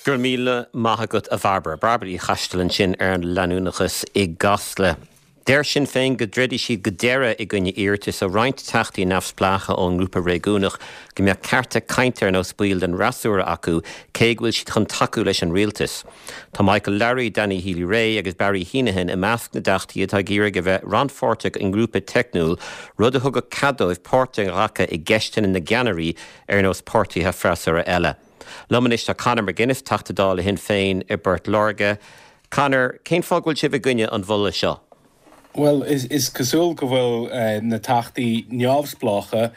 Go raibh míle maith agat a Bhairbre. Bairbre Uí Choisteala ansin ar an leanúnachas i gCasla. Deir Sinn Féin go dtroidfidh siad go deireadh i gcoinne iarratais ó roinnt teachtaí neamhspleácha ón ngrúpa réigiúnach go mbeadh cearta cainte ar nós baill den fhreasúra acu cé go bhfuil siad chun tacú leis an rialtas. Tá Michael Lowry, Danny Healy-Rae agus Barry Heneghan i measc na dteachtaí atá ag iarraidh a bheith rannpháirteach i ngrúpa teicniúil, rud a thugadh cead dóibh páirt a ghlacadh i gceisteanna na gceannairí ar nós páirtithe freasúra eile. Liom anois tá Conor McGuinness, Teachta Dála Shinn Féin i bPort Láirge. Conor, cén fáth go bhfuil sibh i gcoinne an mholadh seo? Bhuel, is cosúil go bhfuil na teachtaí neamhspleácha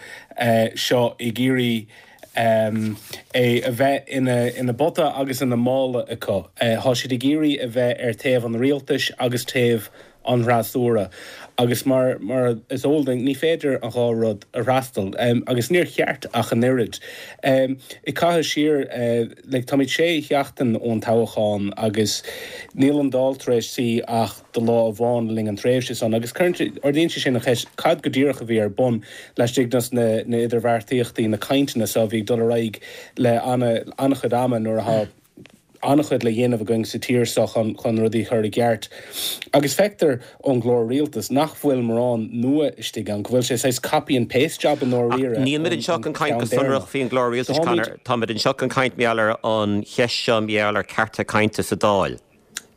seo ag iarraidh é a bheith ina bpota agus ina mála acu. Tá siad ag iarraidh a bheith ar taobh an rialtais agus taobh an fhreasúra. Agus mar is eol duinn, ní féidir an dhá rud a fhreastal. Agus níor cheart ach an oiread. Ag caitheamh siar, like, táimid sé sheachtain ón toghchán agus níl an Dáil tar éis suí ach do lá amháin le linn an tréimhse san. Agus cuireann, ardaíonn sé sin an cheist, cad go díreach a bhí ar bun laistigh dos na idirbheartaíochtaí, na cainteanna so a bhí ag dul ar aghaidh le an-chuid ama nuair atá an-chuid le dhéanamh againn sa tír seo chun rudaí a chur i gceart. Agus feictear ón gclár rialtais nach bhfuil morán nua istigh ann, go bhfuil sé saghas copy and paste job i ndáiríre Ach níl muid anseo chun caint go sonrach faoin gclár rialtais, Conor. Tá muid anseo chun caint mar gheall ar an cheist seo, mar gheall ar cearta cainte sa Dáil.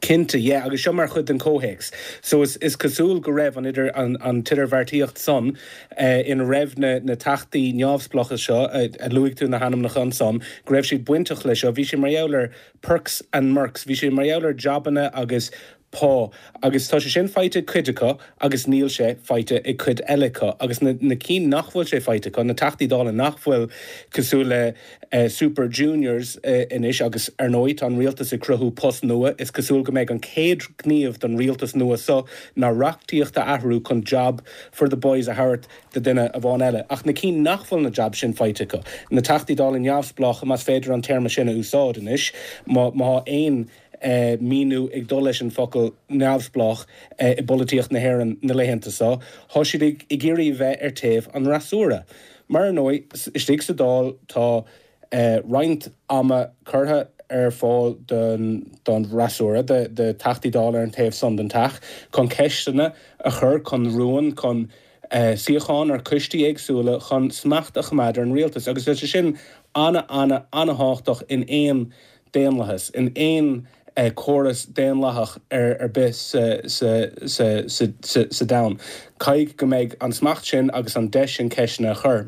Cinnte, yeah, agus seo mar chuid den chomhthéacs. So is is cosúil go raibh an idir an an t-idirbheartaíocht san ina raibh na na teachtaí neamhspleácha seo a luaigh tú na hainmneacha ansan, go raibh siad bainteach leis seo. Bhí sé mar gheall ar perks and merks, bhí sé mar gheall ar jabanna agus pá agus tá sé sin faighte ag cuid acu agus níl sé faighte ag cuid eile acu. Agus na na cinn nach bhfuil sé faighte acu, na Teachtaí Dála nach bhfuil cosúil le Super Juniors anois agus, ar ndóigh, tá an rialtas ag cruthú post nua. Is cosúil go mbeidh an chéad ghníomh don rialtas nua seo ná reachtaíocht a athrú chun job for the boys a thabhairt do duine amháin eile. Ach na cinn nach bhfuil na jobs sin faighte acu, na Teachtaí Dála neamhspleácha, más féidir an téarma sin a úsáid anois, má tá aon míniú ag dul leis an bhfocal neamhspleách i bpolaitíocht na hÉireann na laethanta seo, tá siad ag iarraidh a bheith ar taobh an fhreasúra. Mar ar ndóigh, istigh sa Dáil tá roinnt ama curtha ar fáil don fhreasúra, do Theachtaí Dála ar an taobh san den Teach, chun ceisteanna a chur, chun rúin, chun suíocháin ar choistí éagsúla, chun smacht a choimeád ar an rialtas. Agus tá sé sin ana-ana-ana-thábhachtach in aon daonlathas, in aon chóras daonlathach ar bith sa domhan. Caithfidh go mbeidh an smacht sin agus an deis sin ceisteanna a chur.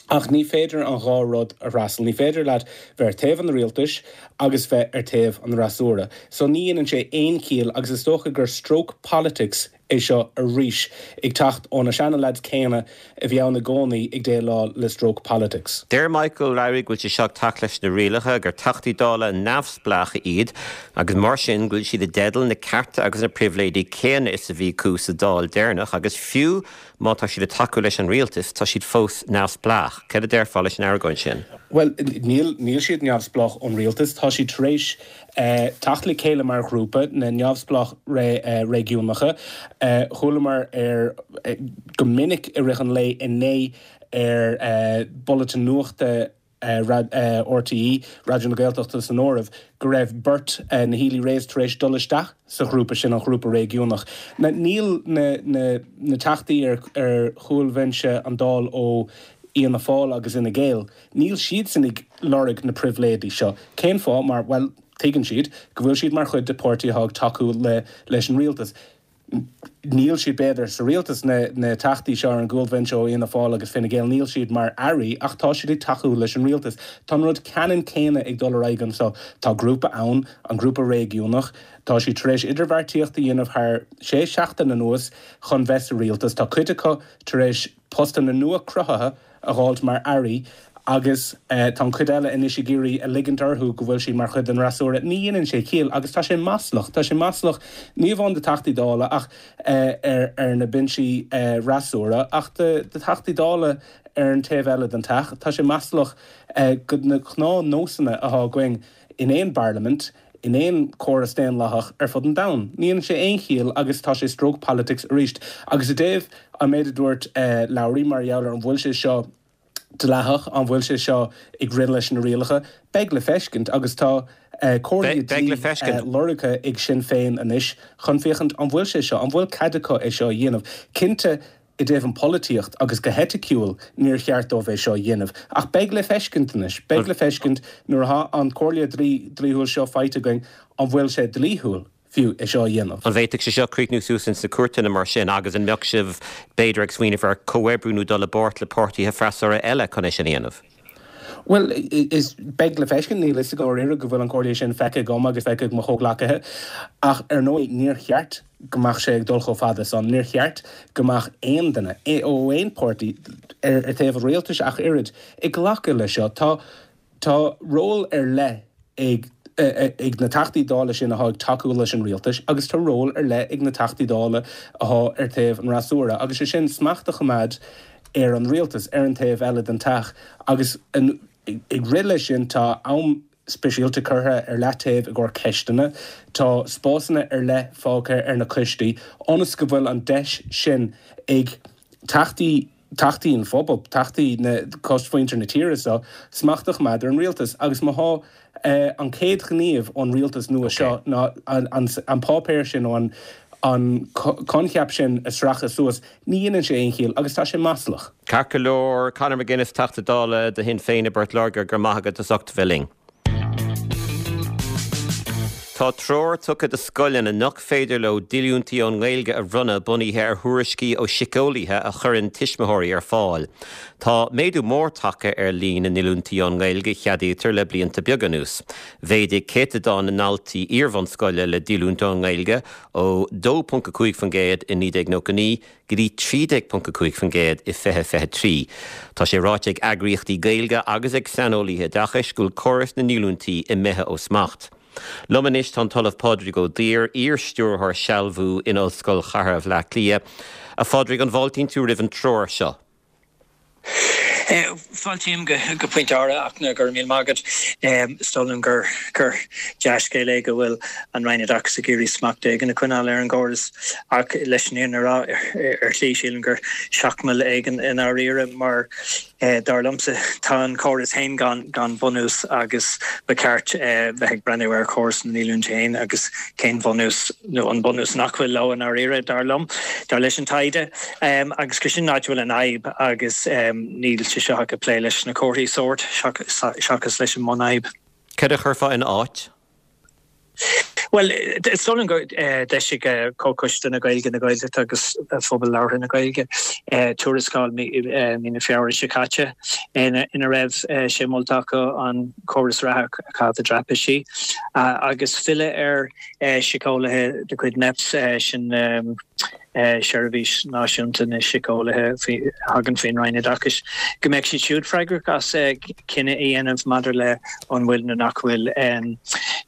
Ach ní féidir an dhá rud a fhreastal. Ní féidir leat bheith ar taobh an rialtais agus bheith ar taobh an fhreasúra. So ní dhéanann sé aon chiall agus is dócha gur stroke politics é seo arís, ag teacht ó na seana-leaids céanna a bhí ann i gcónaí ag déileáil le stroke politics. Deir Michael Lowry go bhfuil sé seo ag teacht leis na rialacha, gur Teachtaí Dála neamhspleácha iad agus mar sin go bhfuil siad i dteideal na cearta agus na pribhléidí céanna is a bhí acu sa Dáil deireanach agus fiú má tá siad ag tacú leis an rialtas tá siad fós neamhspleách. Céard a déarfá leis an argóint sin? Bhuel, níl, níl siad neamhspleách ón rialtas. Tá siad tar éis teacht le chéile mar ghrúpa, na neamhspleách réigiúnacha. Chualamar ar go minic i rith an lae inné ar Bulletin Nuachta RTÉ, Raidió na Gaeltachta san áireamh, go raibh beirt, na Healy-Raes, tar éis dul isteach sa ghrúpa sin, an ghrúpa réigiúnach. Níl na teachtaí ar chúlbhinse an Dáil ó Fhianna Fáil agus Fhine Gael, Níl siadsan ag lorg na pribhléidí seo. Cén fáth? Mar, bhuel, tuigeann siad go bhfuil siad mar chuid de páirtí atá ag tacú le leis an rialtas. Níl siad, b'fhéidir, sa rialtas, na na teachtaí seo ar an gcúlbhinse ó Fhianna Fáil agus Fine Gael, níl siad mar airí ach tá siad ag tacú leis an rialtas. Tá an rud ceannann céanna ag dul ar aghaidh anseo. Tá grúpa ann, an grúpa réigiúnach, tá siad tar éis idirbheartaíocht a dhéanamh thar sé seachtain anuas chun bheith sa rialtas. Tá cuid acu tar éis postanna nua cruthaithe a dh'fháilt mar airí agus tá an chuid eile anois ag iarraidh a ligint orthu go bhfuil siad mar chuid den fhreasúra. Ní dhéanann sé ciall agus tá sé maslach. Tá sé maslach ní amháin do Theachtaí Dála ach ar na binsí fhreasúra ach do Theachtaí Dála ar an taobh eile den Teach. Tá sé maslach do na gnáthnósanna atá againn in aon bparlaimint. in aon chóras daonlathach ar fud an domhain. Ní dhéanann sé aon chiall agus tá sé stroke politics arís. Agus i dtaobh an méid a dúirt Lowry mar gheall ar an bhfuil sé seo dleathach, an bhfuil sé seo ag rith leis na rialacha, beidh le feiscint agus tá. Comhairle dlí lorgtha ag Sinn Féin anois chun féachaint an bhfuil sé seo, an bhfuil cead acu é seo a dhéanamh. Cinnte, i dtaobh an pholaitíocht agus go heiticiúil níor cheart dóibh é seo a dhéanamh. Ach beidh le feiscint anois, beidh le feiscint nuair atá an comhairle dlíthiúil seo faighte againn an bhfuil sé dlíthiúil fiú é seo a dhéanamh. An bhféadfadh sé seo críochnú suas ins na cúirteanna mar sin agus an mbeadh sibh b'fhéidir ag smaoineamh ar chomhoibriú nó dul i bpáirt le páirtithe freasúra eile chun é sin a dhéanamh? Bhuel, is, beidh le feiscint, níl fhios agam dáiríre go bhfuil an comhairle sin feicthe agam agus feicthe ag mo chomhghleacaithe ach ar ndóigh níor cheart go mbeadh sé ag dul chomh fada san, níor cheart go mbeadh aon duine, ó aon pháirtí, ar thaobh an rialtais ach oiread, ag glacadh leis seo. Tá, tá ról ar leith ag ag na Teachtaí Dála sin atá ag tacú leis an rialtas agus tá ról ar leith ag na Teachtaí Dála atá ar thaobh an fhreasúra agus sé sin smacht a choimeád ar an rialtas ar an taobh eile den teach agus ag rith leis sin tá am speisialta curtha ar leataobh i gcomhair ceisteanna, tá spásanna ar leith fágtha ar na coistí ionas go bhfuil an deis sin ag Teachtaí Teachtaí an phobail, Teachtaí na, cosmhuintir na tíre seo, smacht a choimeád ar an rialtas. Agus má thá an chéad ghníomh ón rialtas nua seo ná an páipéar sin nó an coincheap sin a sracadh suas, ní dhéanann sé aon chiall agus tá sé maslach. Ceart go leor, Conor McGuinness, Teachta Dála do Shinn Féin i bPort Láirge, go raibh maith agat as ucht bheith linn. Tá treoir tugtha do scoileanna nach féidir leo díolúintí ón nGaeilge a bhronnadh bunaithe ar thuairiscí ó shíceolaithe a chuireann tuismitheoirí ar fáil. Tá méadú mór tagtha ar líon na ndíolúintí ón nGaeilge a cheadaítear le blianta beaga anuas. Mhéadaigh céatadán na ndaltaí iarbhunscoile le díolúint ón nGaeilge ó 2.5% i 1999 go dtí 13.5% i 2023. Tá sé ráite ag eagraíochtaí Gaeilge agus ag saineolaithe oideachais go bhfuil córas na ndíolúintí imithe ó smacht. Liom anois tá an tOllamh Pádraig Ó Duibhir, iar-stiúrthóir sealbhú in Ollscoil Chathartha Bhaile Átha Cliath. A Phádraig, an bhfáiltíonn tú roimh an treoir seo? Fáiltím go pointe áirithe ach go raibh míle maith agat. Is dóigh liom gur dea-scéal é go bhfuil an Roinn Oideachais ag iarraidh smacht éigin a choinneáil ar an gcóras ach leis an fhírinne a rá, ar shlí sílim gur seachmall éigin i ndáiríre mar dar liomsa tá an córas féin gan bhunús agus ba cheart bheith ag breathnú ar chóras na ndíolúintí féin agus cén bhunús nó an bunús nach bhfuil leo i ndáiríre, dar liom, dar leis an taighde, agus gur sin an áit a bhfuil an fhadhb agus níl sé seo ach ag plé leis na comharthaí sóirt seachas leis an mbunfhadhb. Cad a chuirfeá ina áit? Bhuel, is dóigh liom gur d'eisigh Comhchoiste na Gaeilge, na Gaeltachta agus Phobal Labhartha na Gaeilge tuarascáil mí na Feabhra seo caite ina raibh sé molta acu an córas reatha a chaitheamh i dtraipisí agus filleadh ar Síceolaithe de chuid Mheps, sin Seirbhís Náisiúnta na Síceolaithe a thagann faoin Roinn Oideachais, go mbeadh siad siúd freagrach as cinneadh a dhéanamh maidir le an bhfuil nó nach bhfuil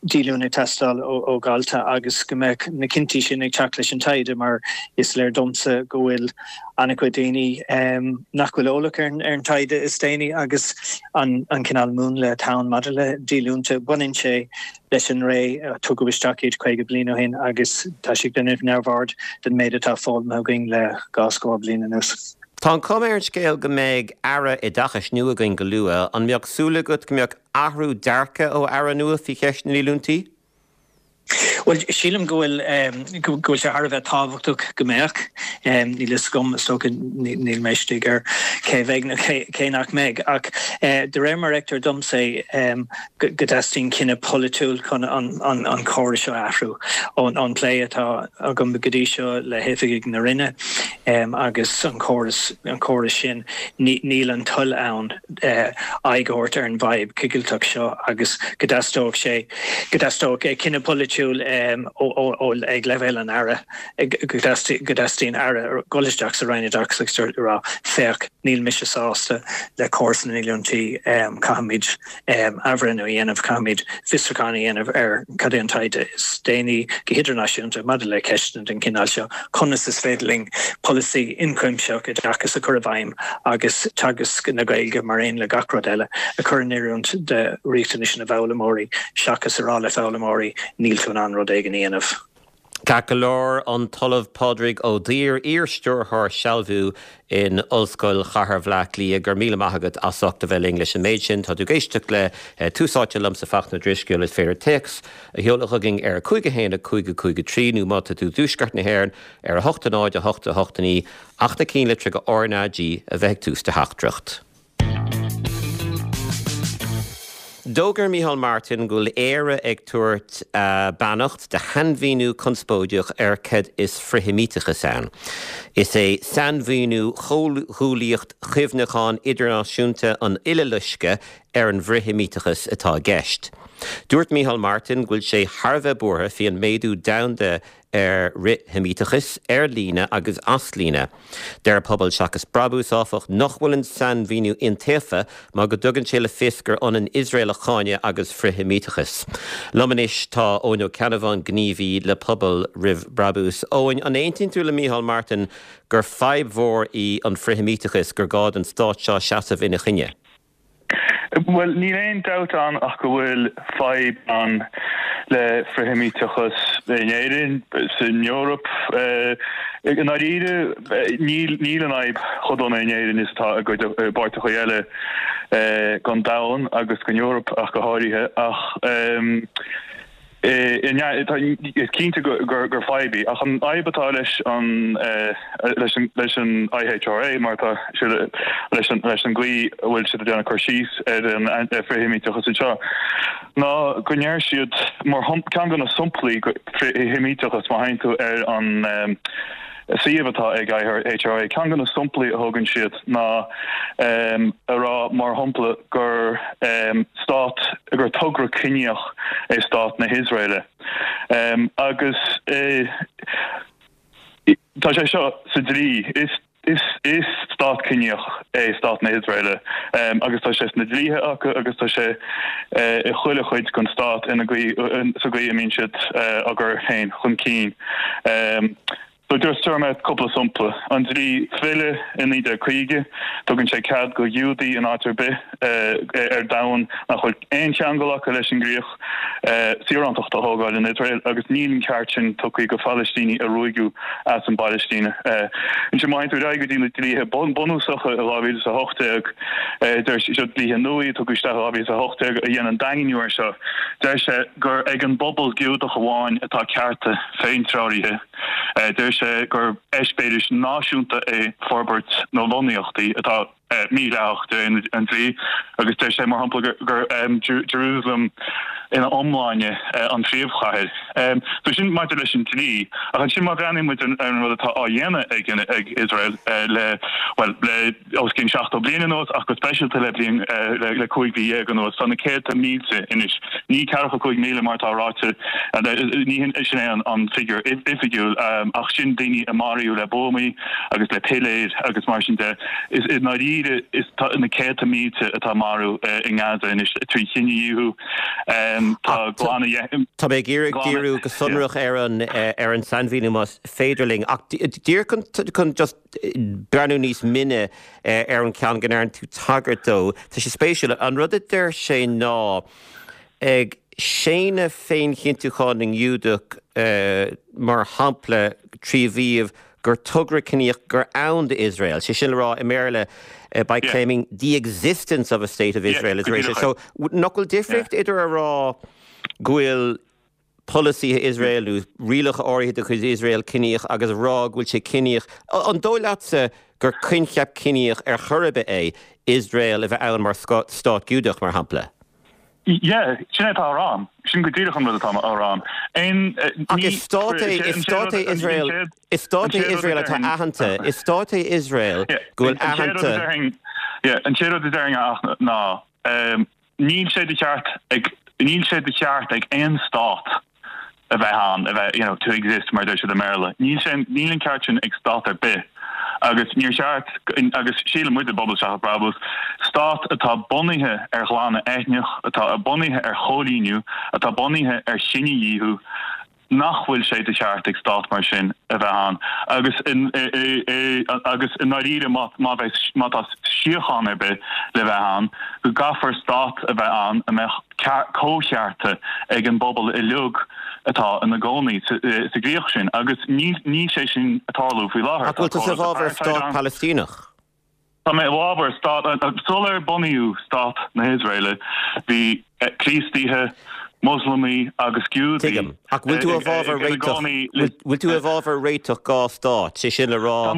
díolúine ag teastáil ó dhalta agus go mbeadh na cinntí sin ag teacht leis an taighde mar is léir domsa go bhfuil an-chuid daoine nach bhfuil eolach ar an taighde is déanaí agus an cineál múnla atá ann maidir le díolúinte. Baineann sé leis an ré a tugadh isteach iad 50 bliain ó shin agus tá sé ag déanamh neamhaird den méid atá foghlamtha againn le dhá scór bliain anuas. Tá an chuma ar an scéal go mbeidh Aire Oideachais nua againn go luath. An mbeadh súil agat go mbeadh athrú dearcaidh ó Aire nua faoi cheist na ndíolúintí? Bhuel, sílim go bhfuil go bhfuil sé thar a bheith tábhachtach go mbeadh. Níl fhios agam, is dócha, níl mé istigh ar cé a bheidh nó cé nach mbeidh, ach de réir mar a fheictear domsa é, go dteastaíonn cinneadh polaitiúil chun an córas seo a athrú. Ón bplé atá agam go dtí seo le hoifigigh na Roinne agus an córas, an córas sin, níl an toil ann aghaidh a thabhairt ar an bhfadhb choigilteach seo agus go dteastódh sé, go dteastódh cinneadh polaitiúil ag leibhéal an Aire, go dteastaíonn Aire dul isteach sa Roinn Oideachais agus a rá, féach, níl mise sásta le córas na ndíolúintí, caithfimid athbhreithniú a dhéanamh, caithfimid fiosrúchán a dhéanamh ar cad é an taighde is déanaí go hidirnáisiúnta maidir le ceisteanna den chineál seo, conas is féidir linn polasaí ionchuimsitheach oideachais a chur i bhfeidhm agus teagasc na Gaeilge mar aon le gach rud eile a chur in oiriúint do riachtanais na bhfoghlaimeoirí seachas a rá le foghlaimeoirí níl tú in ann rud éigin a dhéanamh. Ceart go leor, an tOllamh Pádraig Ó Duibhir, iar-stiúrthóir sealbhú in Ollscoil Chathair Bhaile Átha Cliath, go raibh míle maith agat as ucht a bheith linn leis an méid sin. Tá tú ag éisteacht le Tús Áite liomsa Fachtna Ó Drisceoil. Is féidir téacs a sheoladh chugainn ar 5 1 5 5 3 nó má tá tú i dtuaisceart na hÉireann ar 8 0 8 8 9 ach na cinnlitreacha RnaG a bheith ag tús do theachtaireacht. D'fhógair Micheál Martin go bhfuil Éire ag tabhairt a beannacht do shainmhíniú conspóideach ar cad is frithsheimíteachas ann. Is é sainmhíniú Chomhghuaillíocht Chuimhneacháin Idirnáisiúnta an Uileloiscthe ar an bhfrithsheimíteachas atá i gceist. Dúirt Micheál Martin go bhfuil sé thar a bheith buartha faoi an méadú domhanda ar fhrithsheimíteachas, ar líne agus as líne. Deir Pobal Seachas Brabús, áfach, nach bhfuil an sainmhíniú iontaofa mar go dtugann sé le fios gur ionann Iosrael a cháineadh agus frithsheimíteachas. Liom anois tá Eoin Ó Ceannabháin, gníomhaí le Pobal Roimh Brabús. Eoin, an aontaíonn tú le Micheál Martin gur fadhb mhór í an frithsheimíteachas, gur gá don stát seo seasamh ina choinne? Bhuel, níl aon dabht ann ach go bhfuil fadhb ann le frithsheimíteachas in Éirinn, san Eoraip. I ndáiríre, níl níl an fhadhb chomh dona in Éirinn is atá i gcuid i bpáirteacha eile den domhan agus den Eoraip ach go háirithe. Ach. Is cinnte gur fadhb í, ach an fhadhb atá leis an leis an IHRA, mar atá siad leis an leis an gcaoi a bhfuil siad ag déanamh cur síos ar an frithsheimíteachas anseo, ná go ndeir siad, mar ceann de na samplaí frithsheimíteachas, má théann tú ar an suíomh atá ag IHRA, ceann de na samplaí a thugann siad ná a rá, mar shampla, gur stát, gur togra ciníoch é stát na hIosraeile. Agus tá sé seo sa dlí, is is stát ciníoch é stát na hIosraeile agus tá sé sna dlíthe acu agus tá sé i chuile chuid den stát ina gcaoi, sa gcaoi a mbíonn siad á gcur féin chun cinn. So just tabharfaidh mé cúpla sampla. An dlí filleadh i 1950, tugann sé cead go Ghiúdaí in áit ar bith ar domhan nach bhfuil aon cheangal acu leis an gcríoch, saorántacht a thógáil in Iosrael agus níl an ceart sin tugtha go Phalaistínigh a ruaigeadh as an bPalaistín. Ansin má théann tú ar aghaidh go dtí na dlíthe bunúsacha i 2018, deir seo dlíthe nua a tugadh isteach i 2018 a dhéanann daingniú air seo, deir sé gur ag an bpobal Giúdach amháin atá cearta féintreoraithe. Deir sé gur eispéiris náisiúnta é forbairt na lonnaíochtaí atá mídhleathach de réir an dlí agus deir sé, mar shampla, gur Jerusalem ina iomláine an phríomhchathair. So sin maidir leis an dlí. Ach ansin má bhreathnaíonn muid ar an rud atá á dhéanamh ag Iosrael le, bhuel, le os cionn 70 bliain anuas ach go speisialta le bliain, le 15 mhí anuas, tá na céadta mílte anois, ní ceathracha 5,000 mar atá ráite, ní sin é an figiúr oifigiúil ach sin daoine a maraíodh le buamaí agus le piléir agus mar sin de. Is i ndáiríre is tá na céadta mílte atá marbh i nGaza anois trí chinedhíothú. Tá glanadh. Tá mé ag iarraidh díriú go sonrach ar an ar an sainmhíniú más féidir linn ach díreach chun just breathnú níos mine ar an cheann go ndearna tú tagairt dó. Tá sé spéisiúil. An rud a deir sé ná ag séanadh féinchinntiúchán na nGiúdach mar shampla trí mhaíomh gur togra ciníoch gur ann d'Iosrael, sé sin le rá i mBéarla by claiming the existence of a state of Israel as racist. So nach bhfuil difríocht idir a rá go bhfuil polasaithe Iosrael nó rialacha áirithe de chuid Iosrael ciníoch agus a rá go bhfuil sé ciníoch. An dóigh leatsa gur coincheap ciníoch ar chor ar bith é Iosrael a bheith ann mar stát Giúdach, mar shampla? Yeah, sin é atá á rá. Sin go díreach an rud atá á rá. Aon, Ach is stát é, is stát é Iosrael, is stát é Iosrael atá aitheanta, is stát é Iosrael go bhfuil aitheanta. Yeah, an chéad rud a déarfainn ach ná, níl sé de cheart ag, níl sé de cheart ag aon stát a bheith ann, a bheith, you know, to exist mar a deir siad i mBéarla. Níl sé, níl an ceart sin ag stát ar bith agus níor cheart, agus síleann muid i bPobal Seachas Brabús, stát atá bunaithe ar ghlanadh eitneach, atá bunaithe ar choilíniú, atá bunaithe ar chinedhíothú, nach bhfuil sé de cheart ag stát mar sin a bheith ann. Agus agus i ndáiríre má má bheidh má tá síocháin ar bith le bheith ann, go gcaithfear stát a bheith ann a mbeadh comhchearta ag an bpobal uilig. atá ina gcónaí sa gcríoch sin agus níl sé sin ag tarlú faoi láthair. Ach bhfuil tusa i bhfabhar stát Palaistíneach? Tá mé i bhfabhar stát, sular bunaíodh stát na hIosraeile bhí Críostaithe, Moslamaigh agus Giúdaigh Tuigim. Ach bhfuil tú i bhfabhar réiteach, bhfuil tú i bhfabhar réiteach dhá stát, sé sin le rá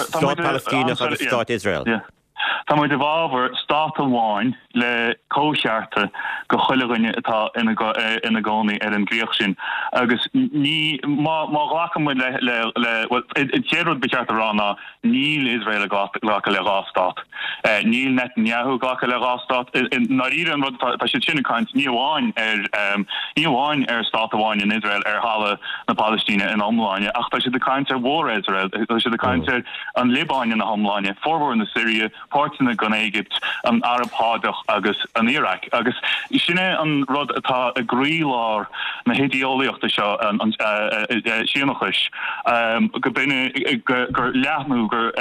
stát Palaistíneach agus stát Iosrael? Tá muid i bhfabhar stát amháin le comhchearta go chuile dhuine atá ina gcónaí ar an gcríoch sin agus ní, má ghlacann muid le, le, le, bhuel, an chéad rud ba cheart a rá ná níl Iosrael ag glacadh le dhá stát. Níl Netanyahu ag glacadh le dhá stát. I ndáiríre an rud atá, tá siad sin ag caint ní amháin ar, ní amháin ar stát amháin in Iosrael ar thalamh na Palaistíne ina iomláine ach tá siad ag caint ar mhór-Iosrael, tá siad ag caint ar an Liobáin ina hiomláine, formhór na Siria, páirteanna den Éigipt, an Araib Shádach agus an Iaráic. Agus sin é an rud atá i gcroílár na hidé-eolaíochta seo, an Síónachais, go b'in gur leathnú, gur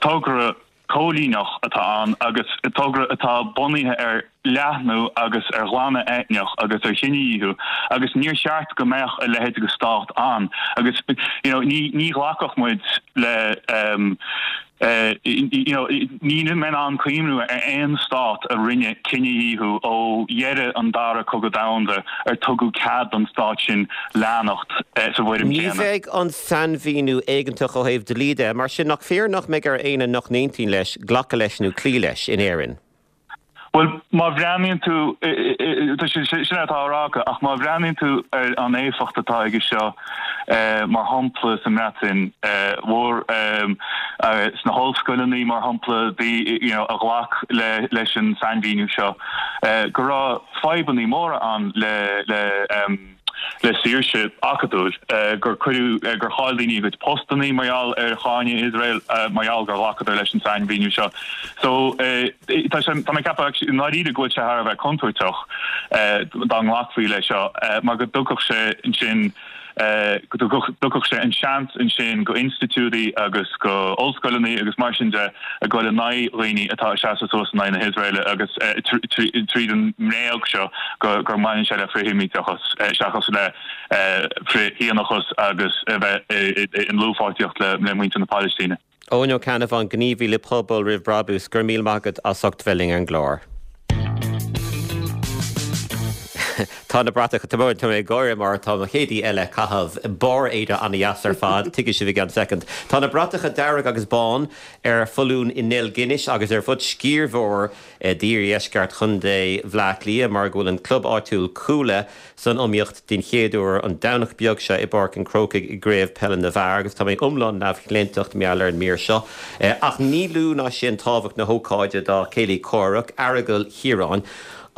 togra coilíneach atá ann agus togra atá bunaithe ar leathnú agus ar ghlanadh eitneach agus ar chinedhíothú agus níor cheart go mbeadh a leithéid de stát ann agus you know ní ní ghlacfadh muid le you know níl mé in ann cuimhniú ar aon stát a rinne cinedhíothú ó dheireadh an dara cogadh domhanda ar tugadh cead don stát sin leanacht sa bhfoirm Ní chéanna. bheidh an sainmhíniú éigeantach ó thaobh dlí de, mar sin nach fíor nach mbeidh ar éinne nach n-aontaíonn leis glacadh leis nó cloí leis in Éirinn? Bhuel, má bhreathnaíonn tú, tá sé, sin é atá á rá acu, ach má bhreathnaíonn tú ar an éifeacht atá aige seo, mar shampla sa mBreatain Mhór, sna hollscoileanna, mar shampla, you know, a ghlac leis an sainmhíniú seo, go raibh fadhbanna móra ann le, le, le saoirse acadúil, gur cuireadh, gur chaill daoine a gcuid postannaí mar gheall ar cháineadh Iosrael, mar gheall gur ghlacadar leis an sainmhíniú seo. So, tá sé, tá mé ag ceapadh actually i ndáiríre go bhfuil sé thar a bheith contúirteach dá nglacfaí leis seo, mar go dtugfadh sé ansin, go dtugfadh sé an seans ansin go institiúidí agus go ollscoileanna agus mar sin de a ghoil in aghaidh dhaoine atá ag seasamh suas in aghaidh na hIosraeile agus tríd an mbréag seo gur mbaineann sé le frith-Sheimíteachas seachas le frith-Shíónachas agus a bheith i ndlúthpháirtíocht le muintir na Palaistíne. Eoin Ó Ceannabháin, gníomhaí le Pobal Roimh Brabús, go raibh míle maith agat as ucht bheith linn ar an gclár. Tá na bratacha, tá mé ag gáire mar tá mo chéad aoi eile ag caitheamh barr éide an-dheas ar fad, tuigfidh sibh i gceann soicind. Tá na bratacha dearg agus bán ar foluain i nDeilginis agus ar fud sciar mhór d'iardheisceart Chontae Bhaile Átha Cliath mar go bhfuil an club áitiúil Cuala san iomaíocht den chéad uair an Domhnach beag seo i bPáirc an Chrócaigh i gCraobh Peile na bhFear agus tá mé iomlán neamhchlaontach mar gheall ar an mír seo. Ach ní lú ná sin tábhacht na hócáide dá céilí comhraic, Aireagal Chiaráin,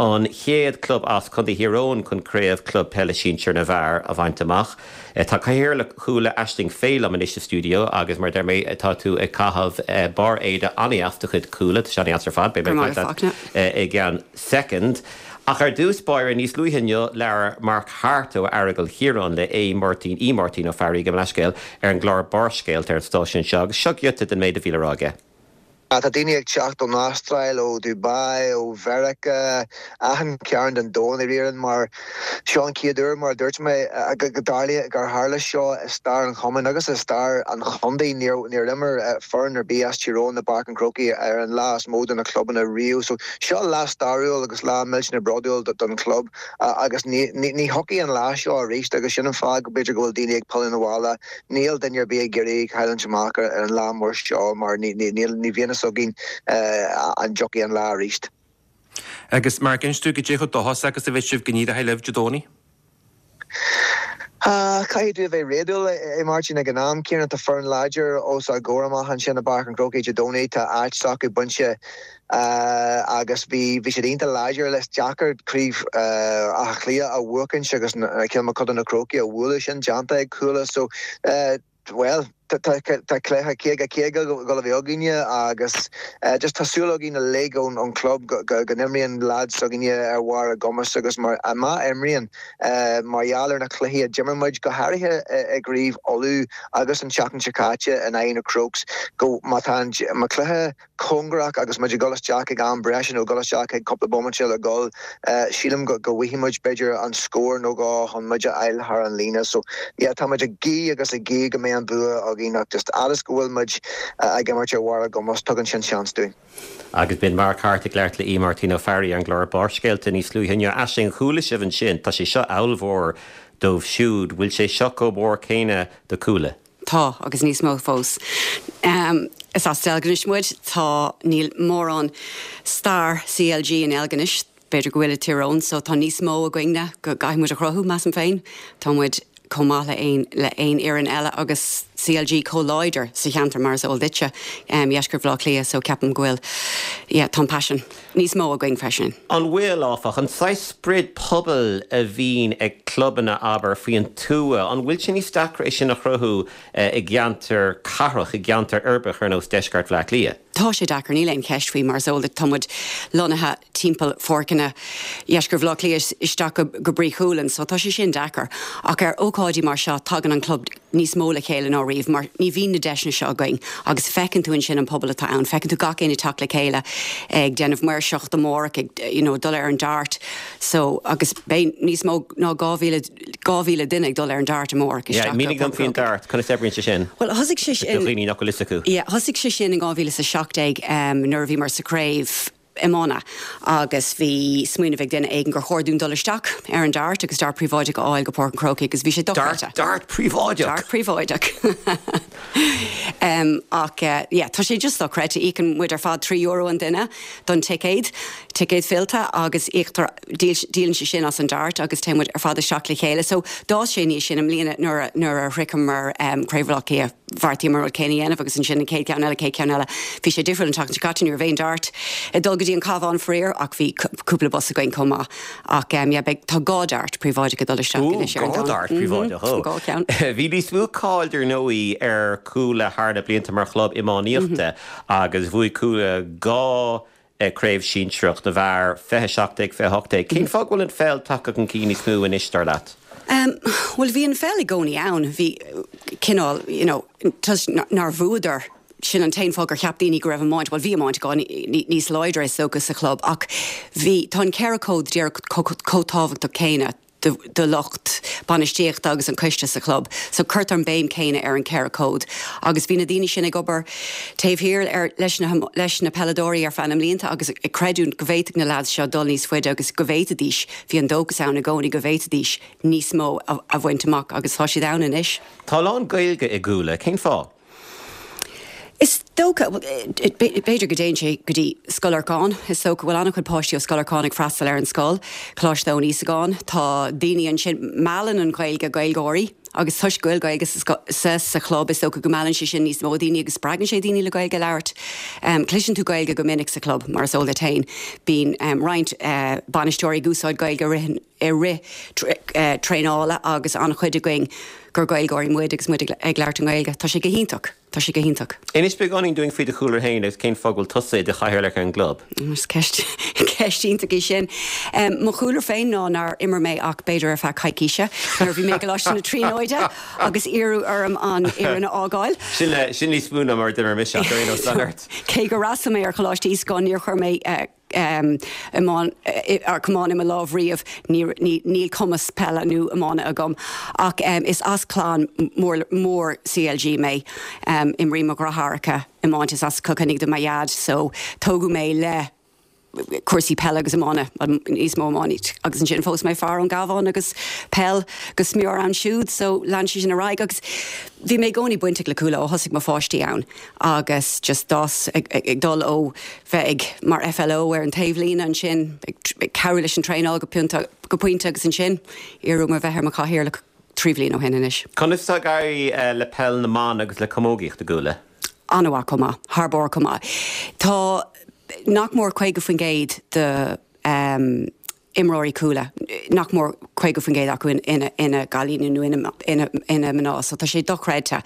an chéad club as Contae Thír Eoghain chun Craobh Club Peile Sinsir na bhFear a bhaint amach. Tá Cathaoirleach Chuala, Aisling Fay liom anois sa stiúideo agus mar a deir mé tá tú ag caitheamh barr éide an-dheas de chuid Cuala, tá sé an-dheas ar fad, beidh mé ag caint leat i gceann soicind. Ach ar dtús báire, níos luaithe inniu, labhair Mark Harte ó Aireagal Chiaráin le Aodh Máirtín, Aodh Máirtín Ó Fearraigh, gabh mo leithscéal, ar an gclár Barrscéalta ar an stáisiún seo agus seo giota den méid a bhí le rá aige. Tá daoine ag teacht ón Astráil, ó Dubai, ó Mheiriceá, achan cearn den domhan i ndáiríre mar seo an chéad uair, mar a dúirt mé, go dtarlaíonn, gur tharla seo i stair an chumainn agus i stair an chontae. Níor imir foireann ar bith as Tír Eoghain i bPáirc an Chrócaigh ar an lá is mó do na clubanna riamh. So seo lá stairiúil agus lá millteanach bródúil don chlub agus ní thiocfaidh an lá seo arís agus sin an fáth go b'fhéidir go bhfuil daoine ag pilleadh 'na bhaile. Níl duine ar bith ag iarraidh cailliúint amach ar an lá mór seo mar ní bhíonn fhios againn an dtiocfaidh an lá arís. Agus Mark, inis dúinn cad é chomh dóchasach agus a bheidh sibh go n-éireoidh libh Dé Domhnaigh? Caithfidh tú a bheith réadúil, a Mháirtín, ag an am céanna. Tá foireann láidir os ár gcomhair amach ansin i bPáirc an Chrócaigh Dé Domhnaigh. Tá áit s'acu bainte agus bhí bhí siad iontach láidir. Is deacair craobh Átha Cliath a bhuachaint agus Cill Mochuda Na Crócaigh a bhualadh. Sin déanta ag Cuala so, bhuel. Tá cluiche 50 50 ag dul a bheith againne agus just tá súil againn uilig ón chlub go n-imríonn lads s'againne ar bharr a gcumas agus má imríonn mar gheall ar na cluichí a d'imir muid, go háirithe i gCraobh Uladh agus an tseachtain seo caite in aghaidh na Crokes, go má tá an cluiche cóngarach agus muid ag dul isteach ag am breise nó ag dul isteach ag cúpla bomaite le dhul, sílim go bhfaighidh muid b'fhéidir an scór nó dhó chun muid a fháil thar an líne. So yeah, tá muid ag guí agus ag guí go mbeidh an bua againn ach just fhad is go bhfuil muid ag imirt ar bharr ár gcumas, tugann sin seans dúinn. Agus b'in Mark Harte ag labhairt le Aodh Máirtín Ó Fearraigh ar an gclár Barrscéalta níos luaithe inniu. Aisling, chuala sibh ansin, tá sé seo ollmhór dóibh siúd, bhfuil sé seo chomh mór céanna do Cuala? Tá, agus níos mó fós. Is as Deilginis muid. Tá, níl mórán stair CLG i nDeilginis, b'fhéidir go bhfuil i Tír Eoghain, so tá níos mó againne go gcaithfidh muid a chruthú, measaim féin. Tá muid chomh maith le aon, le aon fhoireann eile agus CLG chomh láidir sa cheantar mar is eol duitse, Dheisceart Bhaile Átha Cliath, so ceapaim go bhfuil, yeah, tá an paisean níos mó againn freisin. An bhfuil, áfach, an saghas sprid pobail a bhíonn ag clubanna, abair, faoin tuath, an bhfuil sé níos deacra é sin a chruthú i gceantar cathrach, i gceantar uirbeach ar nós deisceart Bhaile Átha Cliath? Tá sé deacair, níl aon cheist faoi, mar is eol duit, tá muid lonnaithe timpeall pháirceanna dheisceart Bhaile Átha Cliath isteach go Brí Chualann, so tá sé sin deacair. Ach ar ócáidí mar seo, tagann an club níos mó le chéile ná riamh mar ní bhíonn na deiseanna seo againn agus feiceann tú ansin an pobal atá ann, feiceann tú gach éinne ag teacht le chéile ag déanamh maoirseacht amárach, ag you know dul ar an Dart so agus beidh níos mó ná 2,000 2,000 duine ag dul ar an Dart amárach Yeah, isteach go mínigh dom faoin Dart, conas oibríonn sé sin? Bhuel thosaigh sé sin Do dhaoine nach bhfuil fhios acu. Yeah, thosaigh sé sin in 2017 nuair a bhíomar sa chraobh iomána agus bhí smaoineamh ag duine éigin gur chóir dúinn dul isteach ar an Dart agus Dart príobháideach a fháil go Páirc an Chrócaigh agus bhí sé dochreidte. Dart príobháideach? Dart príobháideach. Ach yeah, tá sé just dochreidte. Íocann muid ar fad €3 an duine don ticéad, ticéad fillte agus íoctar, díolann sé sin as an Dart agus téann muid ar fad isteach le chéile. So d'fhás sé aniar sin i mbliana nuair a, nuair a shroicheamar Craobh Bhaile Átha Cliath. Bheartaíomar an rud céanna a dhéanamh agus ansin an chéad cheann eile, chéad cheann eile. Bhí sé difriúil an tseachtain seo caite, ní raibh aon Dart ag dul go dtí an Cabhán faraor ach bhí cúpla bus againn chomh maith. Ach yeah, beidh, tá dhá Dart príobháideach ag dul isteach anois ar an Domhnach. Dhá Dart príobháideach, ó. Dhá cheann. Bhí níos mó cáil dar ndóigh ar Cuala thar na blianta mar chlub iománaíochta agus bhuaigh Cuala dhá Craobh Sinsearach na bhFear, 2017, 2018. Cén fáth go bhfuil an pheil tagtha chun cinn níos mó anois, dar leat? Bhuel, bhí an pheil i gcónaí ann. Bhí cineál, you know, toisc nár bhuadar, sin an t-aon fáth gur cheap daoine go raibh iomáint, bhuel, bhí iomáint níos láidre is dócha sa chlub ach bhí, tá an 14 cód chomh tábhachtach céanna. do lucht bainistíochta agus an coiste sa chlub. So cuirtear an béim céanna ar an 4 cód. Agus bhí na daoine sin ag obair taobh thiar ar leis na leis na peileadóirí ar feadh na mblianta agus ag creidiúint go bhféadfadh na lads seo dul níos faide agus go bhféadfaidís, bhí an dóchas ann i gcónaí go bhféadfaidís níos mó a bhaint amach agus tá siad ann anois. Tá a lán Gaeilge i gCuala, cén fáth? Is dócha, b'fhéidir go dtéann sé go dtí Scoil Lorcáin. Is dócha go bhfuil an-chuid páistí ó Scoil Lorcáin ag freastal ar an scoil, Coláiste Eoin Íosagáin. Tá daoine ansin, meallann an Ghaeilge Gaeilgeoirí agus toisc go bhfuil Gaeilge sa sa chlub is dócha go meallann sé sin níos mó daoine agus spreagann sé daoine le Gaeilge a labhairt. Cloiseann tú Gaeilge go minic sa chlub, mar is eol duit féin. Bíonn roinnt bainisteoirí ag úsáid Gaeilge i rith an i rith traenála agus an-chuid againn gur Gaeilgeoirí muid agus muid ag labhairt i nGaeilge. Tá sé go hiontach. Tá sé go hiontach. Inis beagáinín dúinn faoi do chúlra féin agus cén fáth go bhfuil tusa i do chathaoirleach ar an gclub. Is ceist, ceist iontach í sin. Mo chúlra féin ná nár imir mé ach b'fhéidir ar feadh coicíse nuair a bhí mé i gColáiste na Tríonóide agus iarradh orm an fhoireann a fhágáil. Sin, sin níos mó ná mar a d'imir mise ach ar aon nós, lean ort. Cé gur fhreastail mé ar Choláiste Íosagáin níor chuir mé iomáin, camán i mo lámh riamh, níl cumas peile nó iomána agam ach is as clann mór mór CLG mé. Imríonn mo dheartháireacha iomáint, is as Cill Chainnigh do mo dhaid so tógadh mé le cúrsaí peile agus iomána, níos mó iomáint agus ansin phós mé fear ón gCabhán agus peil go smior ann siúd so lean sé sin ar aghaidh agus bhí mé i gcónaí bainteach le Cuala ó thosaigh mo pháistí ann. agus just d'fhás ag dul ó bheith ag mar FLO ar an taobhlíne ansin ag cabhrú leis an traenáil go go pointe agus ansin iarradh orm a bheith ar mo chathaoirleach 3 bhliain ó shin anois. Conas atá ag éirí le peil na mban agus le camógaíocht i gCuala? An-mhaith chomh maith, thar barr chomh maith. Tá nach mór 50% de imreoirí Cuala. nach mór 50% acu ina gcailíní nó ina mná so tá sé dochreidte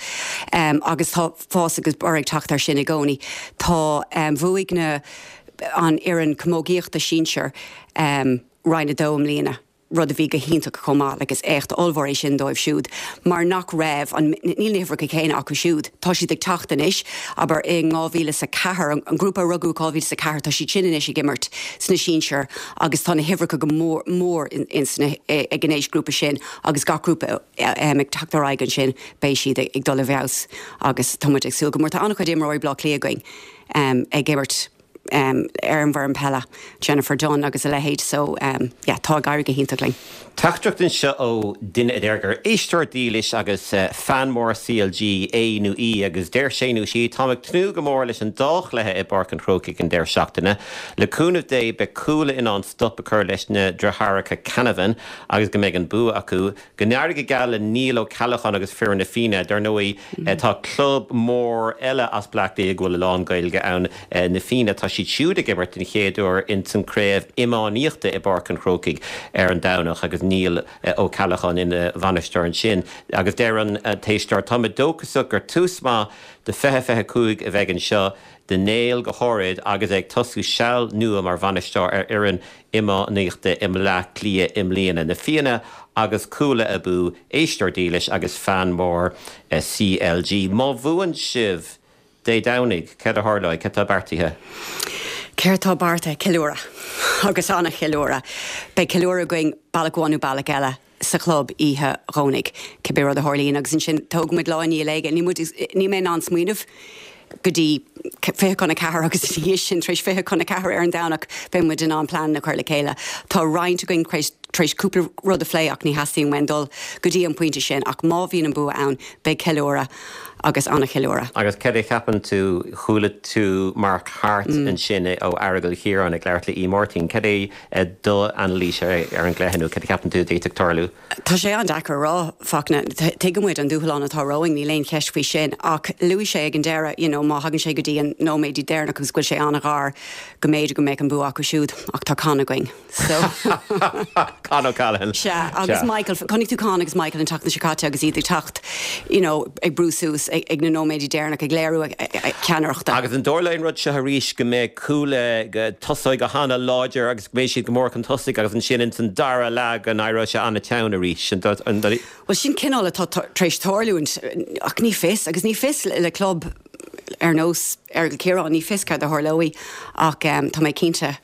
agus tá fás agus borradh ag teacht air sin i gcónaí. Tá, bhuaigh na, an fhoireann camógaíochta sinsir Roinn 2 i mbliana. rud a bhí go hiontach chomh maith, like is éacht ollmhór é sin dóibh siúd mar nach raibh an, níl na huimhreacha céanna acu siúd, tá siad ag teacht anois, abair in 2004, an grúpa a rugadh i 2004, tá siad sin anois ag imirt sna sinsir agus tá na huimhreacha go mór mór in sna, ag an aoisghrúpa sin agus gach grúpa ag teacht ar aghaidh ansin beidh siad ag dul i bhfeabhas agus tá muid ag súil go mór. Tá an-chuid imreoirí Bleá Cliath againn ag imirt. ar an bhfoireann peile, Jennifer Dunne agus a leithéid so yeah tá ag éirí go hiontach linn. Teachtaireacht anseo ó duine a deir gur éisteoir dílis agus fan mór CLG é nó í agus deir sé nó sí, Táim ag tnúth go mór leis an dá chluiche i bPáirc an Chrócaigh an deireadh seachtaine. Le cúnamh Dé beidh Cuala in ann stop a chur leis na deartháireacha Canavan agus go mbeidh an bua acu. Go n-éirí go geal le Niall Ó Ceallacháin agus foireann Na Fianna. Dar ndóigh, tá club mór eile as Bleá Cliath go bhfuil a lán Gaeilge ann, Na Fianna. Tá siad siúd ag imirt den chéad uair ins an craobh iománaíochta i bPáirc an Chrócaigh ar an Domhnach agus Niall Ó Ceallacháin ina bhainisteoir ansin. Agus deir an t-éisteoir, Tá mé dóchasach gur tús maith do 2025 a bheidh anseo do Niall go háirid agus é ag tosú seal nua mar bhainisteoir ar fhoireann iománaíochta i mBleá Cliath i mbliana. Na Fianna agus Cuala abú, éisteoir dílis agus fan mór CLG. Má bhuann sibh Dé Domhnaigh, céard a tharlóidh? Céard tá beartaithe? Céard tá beartaithe? Ceiliúradh. Agus an-cheiliúradh. Beidh ceiliúradh againn bealach amháin nó bealach eile. sa chlub oíche Dhomhnaigh, cibé rud a tharlaíonn, agus ansin tógfaidh muid lá i ndiaidh lae. Níl muid, níl mé in ann smaoineamh go dtí 3:40 agus ina dhiaidh sin, tar éis 3:40 ar an Domhnach, beidh muid in ann plean a chur le chéile. Tá roinnt againn tar éis cúpla rud a phlé ach ní theastaíonn uainn dul go dtí an pointe sin ach má bhíonn an bua ann, beidh ceiliúradh agus an-cheiliúradh. Agus céard a cheapann tú, chuala tú Mark Harte ansin ó Aireagal Chiaráin ag labhairt le Uí Mháirtín, cad é do anailís ar an gcluiche nó cad a cheapann tú a d'fhéadfadh tarlú? Tá sé an-deacair a rá, Fachtna. Tuigeann muid an dúshlán atá romhainn, níl aon cheist faoi sin. Ach luaigh sé ag an deireadh, you know, má thagann sé go dtí an nóiméidí deireanach agus go bhfuil sé an-ghar, go mb'fhéidir go mbeadh an bua acu siúd. Ach tá Con againn. So. Con O'Callaghan. Sea, agus Michael, chonaic tú Con agus Michael an tseachtain seo caite agus iad ag teacht, you know, ag brú suas ag na nóiméidí deireanach, ag léiriú ceannaireachta. Agus an dtarlóidh an rud seo arís, go mbeidh Cuala, go tosóidh go hana-láidir agus go mbeidh siad go mór chun tosaigh agus ansin ins an dara leath go n-éireoidh sé an-teann arís. Bhuel, sin cineál atá tar éis tarlúint ach ní fios, agus ní fios le club ar nós Errigal Ciarán, ní fios céard a tharlóidh ach tá mé cinnte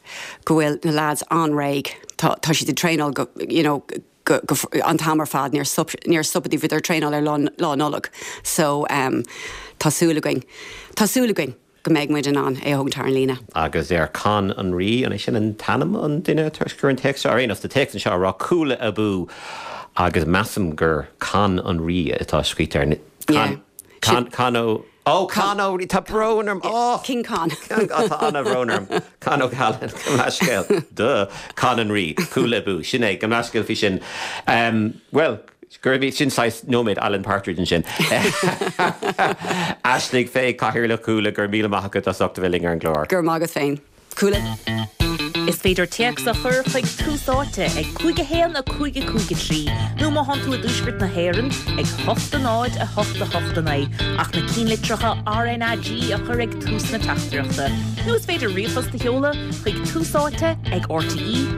go bhfuil na lads an-réidh. Tá tá siad ag traenáil go, you know, go, go, an t-am ar fad, níor stop, níor stopadar, bhíodar ag traenáil ar lá, lá Nollag so tá súil againn, tá súil againn go mbeidh muid in ann é a thógaint thar an líne. Agus ar Con an Rí, an é sin an t-ainm an duine atá ag scríobh an téacs seo? Ar aon nós, tá téacs anseo ag rá Cuala abú agus measaim gur Con an Rí atá scríte air. Con, Con, Con Ó, Ó, Con Ó, tá brón orm, ó! King Con. Tá an-bhrón orm. Con O'Callaghan, gabh mo leithscéal. Duh. Con an Rí. Cuala abú. Sin é, gabh mo leithscéal faoi sin. Bhuel, gurb é sin saghas nóiméad Alan Partridge ansin. Aisling Fay, Cathaoirleach Cuala, go raibh míle maith agat as ucht a bheith linn ar an gclár. Go raibh maith agat féin. Cuala. Is féidir téacs a chur chuig Tús Áite ag 5 1 5 5 3 nó má thánn tú i dTuaisceart na hÉireann ag 8 0 8 8 9 ach na cinnlitreacha RnaG a chur ag tús na teachtaireachta. Nó is féidir ríomhphost a sheoladh chuig Tús Áite ag rte.ie.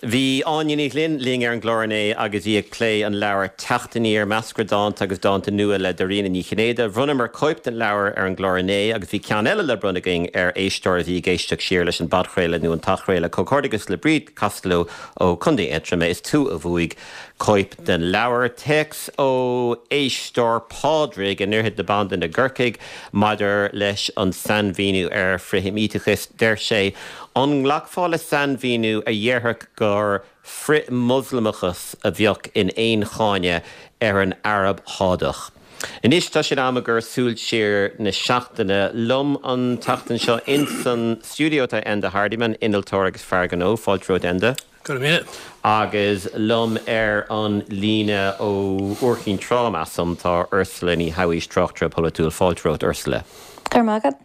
Bhí Áine Ní Ghlinn linn ar an gclár inné agus í ag plé an leabhair Teacht Aniar, Meascra Dánta agus Dánta Nua le Dairena Ní Chinnéide. Bhronnamar cóip den leabhar ar an gclár inné agus bhí ceann eile le bronnadh againn ar éisteoir a bhí ag éisteacht siar leis an bpodchraoladh nó an t-athchraoladh. Comhghairdeachas le Bríd Costello ó Chontae Aontroma, is tú a bhuaigh cóip den leabhar. Téacs ó éisteoir Pádraig i nDroichead na Bandan i gCorcaigh maidir leis an sainmhíniú ar frithsheimíteachas. Deir sé, An nglacfá le sainmhíniú a dhéarfadh gur frith-Mhoslamachas a bheadh in aon cháineadh ar an Araib Shádach? Anois tá sé in am i gcomhair Súil Siar na seachtaine. Liom an tseachtain seo ins an stiúideo tá Enda Hardiman, innealtóir agus fear gnó. Fáilte romhat Enda. Go raibh míle. Agus liom ar an líne ó Iúr Chinn Trá, measaim, tá Ursula Ní Shabhaois, tráchtaire polaitiúil. Fáilte romhat Ursula. Go raibh maith agat.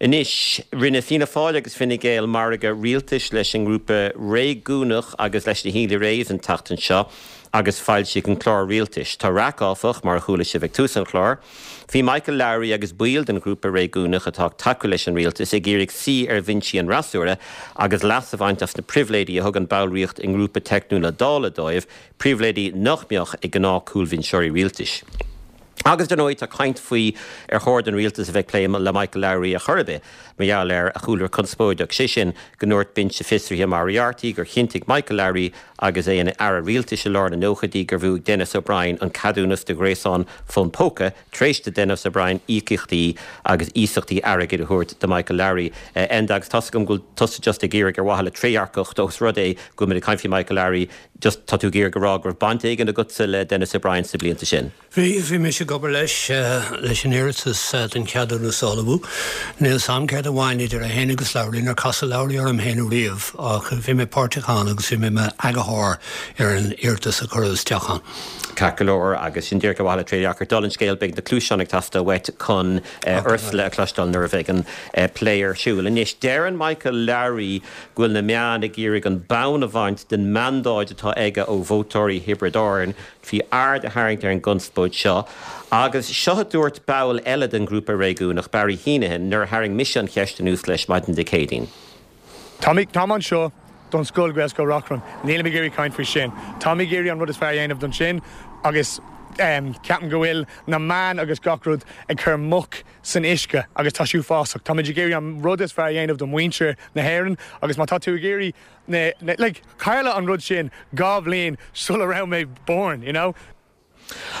Anois, rinne Fianna Fáil agus Fine Gael margadh rialtais leis an ngrúpa réigiúnach agus leis na Healy-Raes an tseachtain seo agus foilsíodh an clár rialtais. Tá raic, áfach, mar a chuala sibh ag tús an chláir. Bhí Michael Lowry agus baill den ghrúpa réigiúnach atá ag tacú leis an rialtas ag iarraidh suí ar bhinsí an fhreasúra agus leas a bhaint as na pribhléidí a thugann ballraíocht i ngrúpa teicniúil na Dála dóibh, pribhléidí nach mbeadh ag gnáth-chúlbhinseoirí rialtais. Agus, dar ndóigh, tá caint faoi ar chóir don rialtas a bheith ag plé le Michael Lowry ar chor ar bith mar gheall ar a chúlra conspóideach, sé sin, go ndúirt Binse Fiosraithe Moriarty gur chinntigh Michael Lowry agus é ina aire rialtais i lár na nóchaidí gur bhuaigh Denis O'Brien an ceadúnas do ghréasán fón póca tar éis do Denis O'Brien íocaíochtaí agus iasachtaí airgid a thabhairt do Michael Lowry. Enda, agus tá's agam go bhfuil tusa just ag iarraidh ar mhaithe le trédhearcacht ós rud é go bhfuil muid ag caint faoi Michael Lowry, just tá tú ag iarraidh a rá go raibh baint éigin agatsa le Denis O'Brien sna blianta sin. Bhí, bhí mise ag obair leis, leis an iarratas don cheadúnas a ullmhú. Níl 's a'm céard a bhain idir é féin agus Lowry, níor casadh Lowry orm féin ariamh ach bhí mé páirteach ann agus bhí mé i m'eagarthóir ar an iarratas a cuireadh isteach ann. Ceart go leor, agus sin díreach ar mhaithe le trédhearcacht. Dála an scéil, beidh na cluaiseáin ag teastáil uait chun Ursula a chloisteáil nuair a bheidh an plé ar siúl. Anois, deireann Michael Lowry go bhfuil na meáin ag iarraidh an bonn a bhaint den mandáid atá aige ó vótóirí Thiobraid Árann Bhí aird a tharraingt ar an gconspóid seo agus seo a dúirt ball eile den ghrúpa réigiúnach, Barry Heneghan, nuair a tharraing mise an cheist anuas leis maidin Dé Céadaoin. Táim anseo don scoil, Gaelscoil Reachrann. Nílim ag iarraidh caint faoi sin. Táim ag iarraidh an rud is fearr a dhéanamh don sin agus ceapaim go bhfuil na meáin agus gach rud ag cur muc san uisce agus tá sé uafásach. Táimid ag iarraidh an rud is fearr a dhéanamh do mhuintir na hÉireann agus má tá tú ag iarraidh na, na, like, tharla an rud sin 2 bhliain sula raibh mé born, you know.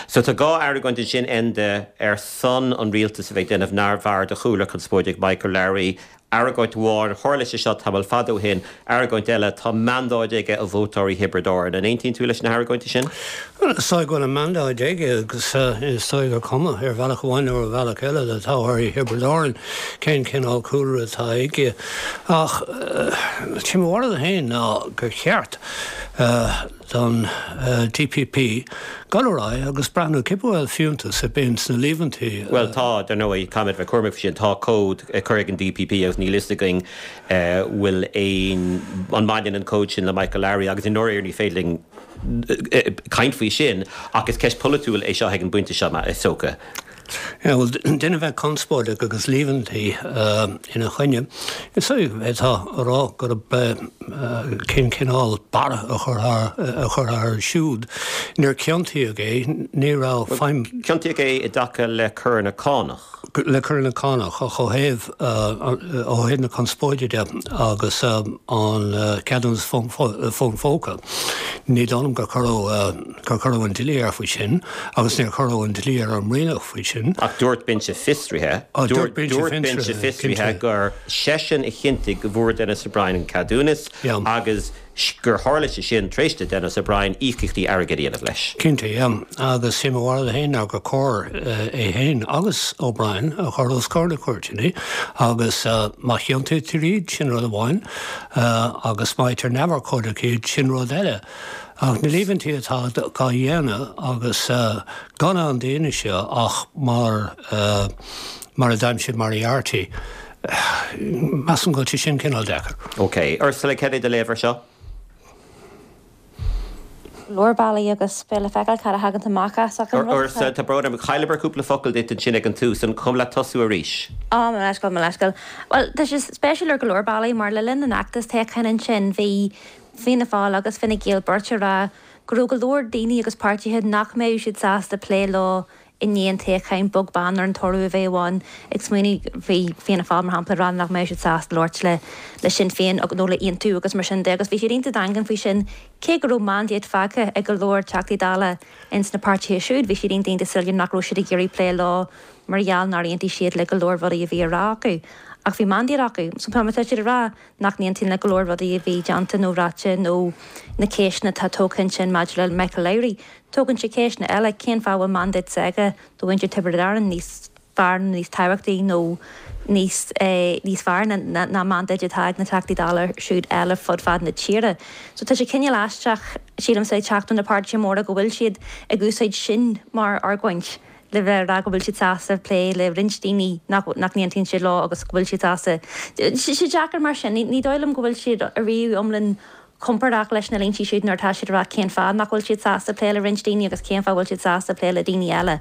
So tá 2 argóint ansin, Enda, ar son an rialtais a bheith ag déanamh neamhaird de chúlra conspóideach Michael Lowry. Argóint amháin, tharla sé seo tamall fada ó shin. Argóint eile, tá mandáid aige ó vótóirí Thiobraid Árann. An aontaíonn tú leis na hargóintí sin? Bhuel, is dóigh go bhfuil an mandáid aige agus is dóigh gur cuma, ar bhealach amháin nó ar bhealach eile, le toghthóirí Thiobraid Árann cén cineál cúlra atá aige. Ach sé mo bharúil féin ná gur cheart don DPP dul ar aghaidh agus breathnú cibé an bhfuil fiúntas ar bith sna líomhaintí. Bhuel tá, dar ndóigh, caithfimid bheith cúramach faoi sin. Tá comhad curtha ag an DPP agus níl fhios againn bhfuil aon, an mbaineann an comhad sin le Michael Lowry agus i ndáiríre ní féidir linn caint faoi sin ach is ceist pholaitiúil é seo ag an bpointe seo, is dócha. Bhuel, duine a bheith conspóideach agus líomhaintí ina choinne, is dóigh go bhféadfá a rá gurb cén cineál barra a chuirfeá air siúd. Níor ciontaíodh é, ní raibh feidhm. Ciontaíodh é i dtaca le coireanna cánach. Le coireanna cánach, ach ó thaobh, ó thaobh na conspóide de agus an ceadúnas fón phóca, ní dóigh liom gur cuireadh. gur cuireadh an dlí air faoi sin agus níor cuireadh an dlí ar an mBrianach faoi sin. Ach dúirt binse fiosraithe, dúirt binse fiosraithe gur seisean a chinntigh go bhfuair Denis O'Brien an ceadúnas agus gur tharla sé sin tar éis do Denis O'Brien íocaíochtaí airgid a dhéanamh leis. Cinnte, yeah. Agus sé mo bharúil féin ná gur chóir é féin agus O'Brien a chur os comhair na cúirteanna agus má chiontaítear iad, sin rud amháin, agus má fhaightear neamhurchóideach iad, sin rud eile. Ach na líomhaintí atá á dhéanamh agus gan aon fhianaise ach mar mar a d'aimsigh Moriarty, measaim go bhfuil sé sin cineál deacair. Ok. Ursula, céard é do léamh ar seo? leor bealaí agus beidh le feiceáil cad a thagann amach as ach an rud atá. Ursula, tá brón orm, chailleamar cúpla focal duit ansin ag an tús, an cuma leat tosú arís? Á, mo leithscéal, mo leithscéal. Bhuel, tá sé spéisiúil ar go leor bealaí mar le linn an fheachtais toghcháin ansin bhí Fianna Fáil agus Fine Gael beirt ag rá go raibh go leor daoine agus páirtithe nach mbeadh siad sásta plé leo i ndiaidh an toghcháin, beag beann ar an toradh a bheadh ann. Ag smaoineamh, bhí Fianna Fáil, mar shampla, ag rá nach mbeadh siad sásta labhairt le le Sinn Féin nó le Aontú agus mar sin de agus bhí siad iontach daingean faoi sin. Cé go raibh mandate faighte ag go leor Teachtaí Dála ins na páirtithe siúd, bhí siad iontach iontach soiléir nach raibh siad ag iarraidh plé leo mar gheall nár aontaigh siad le go leor rudaí a bhí á rá acu. Ach bhí mandate acu. So tá siad ag rá nach n-aontaíonn le go leor rudaí a bhí déanta nó ráite nó na ceisteanna atá tógtha ansin maidir le Michael Lowry. Tógann sé ceisteanna eile, cén fáth a bhfuil mandate s'aige do mhuintir Tiobraid Árann níos fearr nó níos tábhachtaí nó níos níos fearr ná ná mandáid atá ag na Teachtaí Dála siúd eile fud fad na tíre. So tá sé cineál aisteach, sílimse, ag teacht ó na páirtithe móra go bhfuil siad ag úsáid sin mar argóint. le bheith ag rá go bhfuil siad sásta plé le roinnt daoine nach nach n-aontaíonn siad leo agus go bhfuil siad sásta. Tá sé deacair mar sin. Ní dóigh liom go bhfuil siad ariamh iomlán compordach leis na línte siúd nuair atá siad ag rá cén fáth nach bhfuil siad sásta plé le roinnt daoine agus cén fáth a bhfuil siad sásta plé le daoine eile.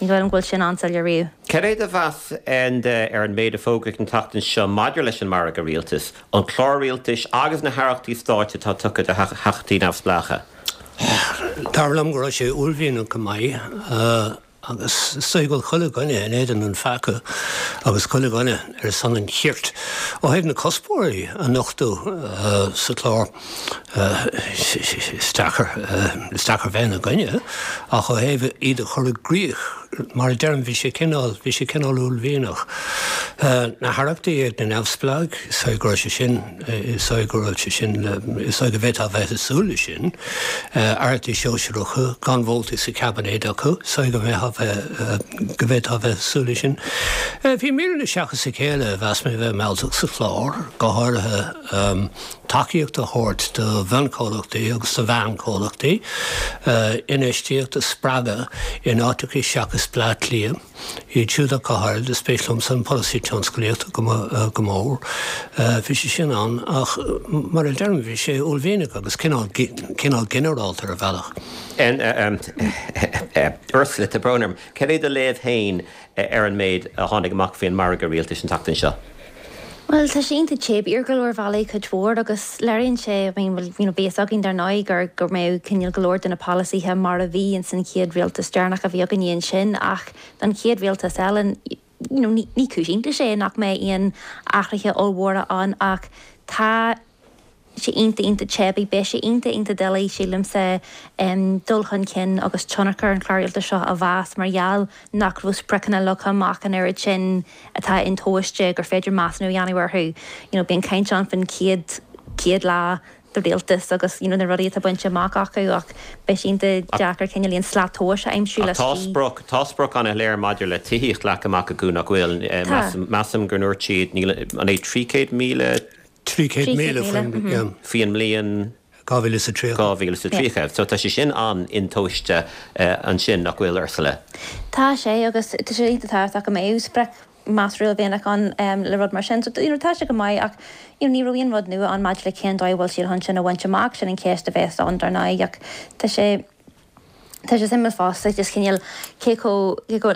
Ní dóigh liom go bhfuil sin an-soiléir riamh. Cad é do mheas, Enda, ar an méid a fógraíodh an tseachtain seo maidir leis an margadh rialtais, an clár rialtais agus na haireachtaí stáit atá tugtha do theachtaí neamhspleácha? Dar liom go raibh sé uaillmhianach go maith agus is dóigh go bhfuil chuile dhuine in éadan an pheaca agus chuile dhuine ar son an chirt. Ó thaobh na cuspóirí a nochtadh sa chlár, is deacair, is deacair bheith ina gcoinne ach ó thaobh iad a chur i gcrích, mar a deirim, bhí sé cineál, bhí sé cineál uaillmhianach. Na haireachtaí ag na neamhspleáigh, is dóigh go raibh sé sin, Is dóigh go raibh sé sin, is dóigh go bhféadfá a bheith ag súil leis sin. Aireachtaí sóisearacha gan vótaí sa chaibinéad acu, is dóigh go mbeifeá bheith, go bhféadfá a bheith ag súil leis sin. Bhí míreanna seachas a chéile a mheas mé a bheith mealltach sa chlár, go háirithe tacaíocht a thabhairt do mhionchomhlachtaí agus do mheánchomhlachtaí, infheistíocht a spreagadh in áiteacha seachas Bleá Cliath. Iad siúd ach go háirid, is spéis liomsa an polasaí tionsclaíochta go mór. Bhí sé sin ann ach mar a deirim, bhí sé uaillmhianach agus cineál, cineál ginearálta ar bhealach. Ursula, tá brón orm. Cad é do léamh féin ar an méid a tháinig amach faoin margadh rialtais an tseachtain seo? Bhuel, tá sé iontach teibí ar go leor bealaí, cuid mhór, agus léiríonn sé, I mean, bhuel, you know, bhí fhios againn dar ndóigh gur, go mbeadh cineál go leor de na polasaithe mar a bhí ins an chéad rialtas deireanach a bhí againne ansin ach don chéad rialtas eile, you know, ní, ní cúis iontais é nach mbeidh aon athruithe ollmhóra ann ach tá sé iontach, iontach teibí. Beidh sé iontach, iontach doiligh, sílimse, dul chun cinn agus tionchar an chláir rialtais seo a mheas mar gheall nach raibh spriocanna leagtha amach an oiread sin atá intomhaiste gur féidir measúnú a dhéanamh orthu. You know, bíonn caint ann faoin chéad, 100 lá de rialtas agus, you know, na rudaí atá bainte amach acu ach beidh sé iontach deacair cineál aon slat tomhais a aimsiú Ach tá sprioc, tá sprioc an-shoiléir maidir le tithíocht leagtha amach acu nach bhfuil? Tá. Measaim gur ndúirt siad, níl, an é 300,000? 300,000 faoin faoin mbliain 2030. 2030. So tá sé sin an-intomhaiste ansin, nach bhfuil, Ursula? Tá sé, agus tá sé iontach tábhachtach go mbeadh sprioc measartha uaillmhianach ann le rud mar sin. So, you know, tá sé go maith ach, you know, ní raibh aon rud nua ann maidir le cén dóigh a bhfuil siad chun sin a bhaint amach, sin an cheist a bheas ann dar ndóigh ach tá sé, Tá sé suimiúil fosta just cineál cé chomh, cé chomh,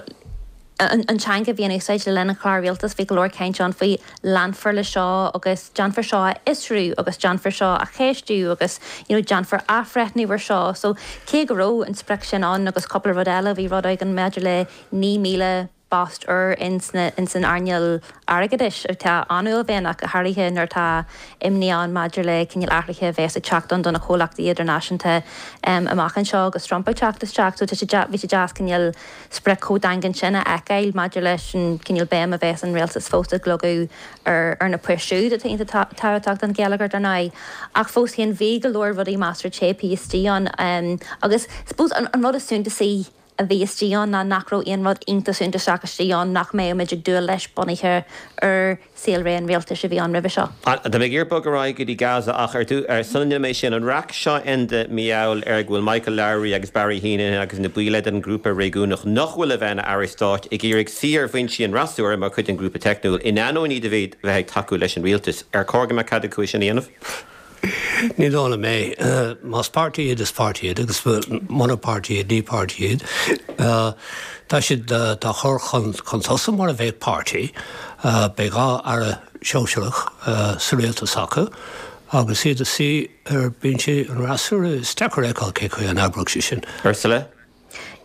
an teanga a bhí in úsáid le linn an chláir rialtais, bhí go leor cainte ann faoi leanfar le seo agus déanfar seo a fhiosrú agus déanfar seo a cheistiú agus you know déanfar athbhreithniú ar seo. So cé go raibh an sprioc sin ann agus cúpla rud eile, bhí rud éigin maidir le 9,000, bpost úr ins an earnáil airgeadais atá an-uaillmhianach, go háirithe nuair atá imní ann maidir le cineál athruithe a bheas ag teacht ann do na comhlachtaí idirnáisiúnta amach anseo agus Trump ag teacht isteach. So tá sé, bhí sé deas cineál sprioc chomh daingean sin a fheiceáil maidir leis an cineál béim a bheas an rialtas fós ag leagadh ar ar na poist siúd atá iontach tábhachtach don gheilleagar dar ndóigh. Ach fós féin bhí go leor rudaí measartha teibí istigh ann agus suppose an rud is suntasaí a bhí istigh ann ná nach raibh aon rud iontach suntasach istigh ann nach mbeadh muid ag dúil leis bunaithe ar saolré an rialtais a bhí ann roimhe seo. Tá mé ag iarraidh bogadh ar aghaidh go dtí Gaza ach ar dtús, sula ndéanfaidh mé sin, an raic seo Enda mar gheall ar go bhfuil Michael Lowry agus Barry Heneghan agus na baill eile den ghrúpa réigiúnach nach bhfuil le bheith ina airí stáit ag iarraidh suí ar bhinsí an fhreasúra mar chuid den ghrúpa teicniúil in ainneoin iad a bheith ag tacú leis an rialtas. Ar chóir go mbeadh cead acu é sin a dhéanamh? Ní dóigh liom é. Más páirtí iad, is páirtí iad, agus mura páirtí iad, ní páirtí iad. Tá siad dá chur chun tosaigh mar a bheadh páirtí. Beidh 2 aire sóisearach sa rialtas acu agus iad ag suí ar bhinsí an fhreasúra. Is deacair a fheiceáil cé chaoi a n-oibreodh sé sin. Ursula?